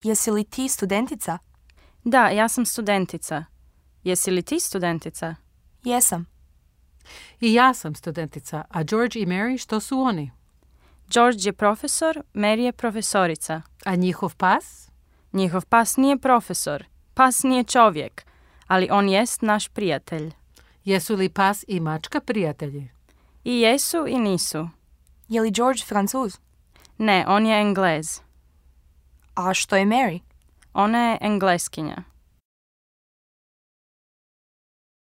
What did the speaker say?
Jesi li ti studentica? Da, ja sam studentica. Jesi li ti studentica? Jesam. I ja sam studentica, a George i Mary, što su oni? George je profesor, Mary je profesorica. A njihov pas? Njihov pas nije profesor. Pas nije čovjek, ali on jest naš prijatelj. Jesu li pas i mačka prijatelji? I jesu i nisu. Je li George Francuz? Ne, on je Englez. A što je Mary? Ona je Engleskinja.